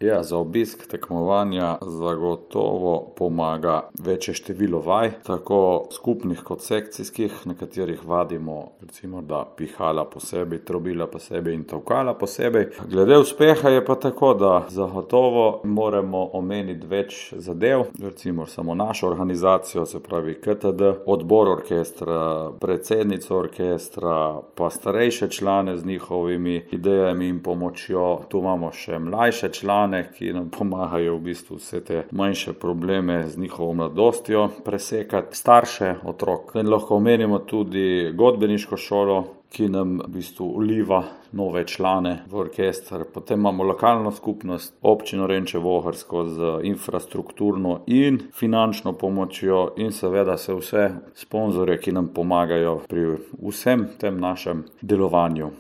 Ja, za obisk tekmovanja zagotovo pomaga večje število vaj, tako skupnih kot sekcijskih, na katerih vadimo recimo, da pihala posebej, trobila posebej in tolkala posebej. Glede uspeha je pa tako, da zagotovo moramo omeniti več zadev, recimo samo našo organizacijo, se pravi KTD, odbor orkestra, predsednico orkestra, pa starejše člane z njihovimi idejami in pomočjo. Tu imamo še mlajše člane, ki nam pomagajo v bistvu vse te manjše probleme z njihovo mladostjo presekati, starše otrok. In lahko omenimo tudi godbeniško šolo, ki nam v bistvu vliva nove člane v orkester. Potem imamo lokalno skupnost, občino Renče - Vohorsko z infrastrukturno in finančno pomočjo in seveda se vse sponzorje, ki nam pomagajo pri vsem tem našem delovanju.